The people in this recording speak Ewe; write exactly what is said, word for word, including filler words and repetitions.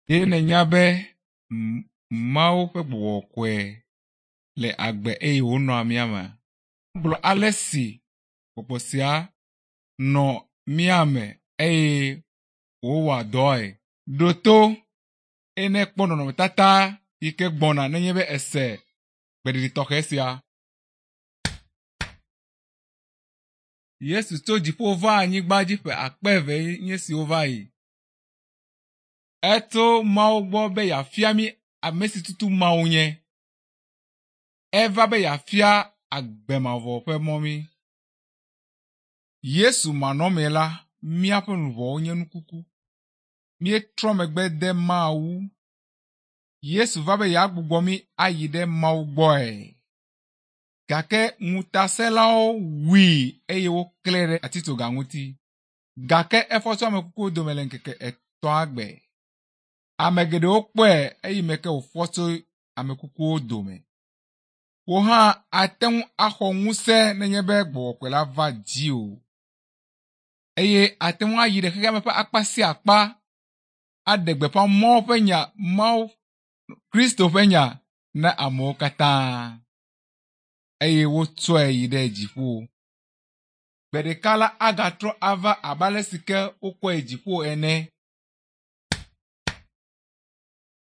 Ɖe nènya be Mawu ƒe gbɔgbɔ kɔkɔe le agbe eye wònɔa mía mea? Gblɔ ale si gbɔgbɔ sia nɔ mía me eye wòwɔa dɔe. Ɖo to eye nekpɔ nɔnɔmetata yi ke gbɔna nenye be ese gbeɖiɖi tɔxɛ sia. Yesu tso dziƒo va anyigba dzi ƒe akpe eve nye siwo va yi. Etso Mawu gbɔ be yeafia mí ame si tutu Mawu nye. Eva be yeafia agbe mavɔ ƒe mɔ mí. Yesu manɔmee la, míaƒe luʋɔwo nye nu kuku. Míetrɔ megbe de Mawu. Yesu va be yeagbugbɔ mí ayi ɖe Mawu gbɔe. Gake ŋutasẽlawo wui eye woklãe ɖe atitsoga ŋuti. Gake efɔ tso ame kukuwo dome le ŋkeke etɔ̃a gbe. Ame geɖewo kpɔe eyi me ke wòfɔ tso ame kukuwo dome. Wò hã ate ŋu axɔ ŋusẽ nenye be gbɔgbɔ kɔkɔe la va dziwò eye ate ŋu ayi ɖe xexea me ƒe akpa sia akpa aɖe gbeƒã Mawu ƒe nya, Mawu Kristo ƒe nya na amewo katã eye wotsɔe yi ɖe dziƒo. Gbe ɖeka la agatrɔ ava abe ale si ke wokɔe yi dziƒo ene.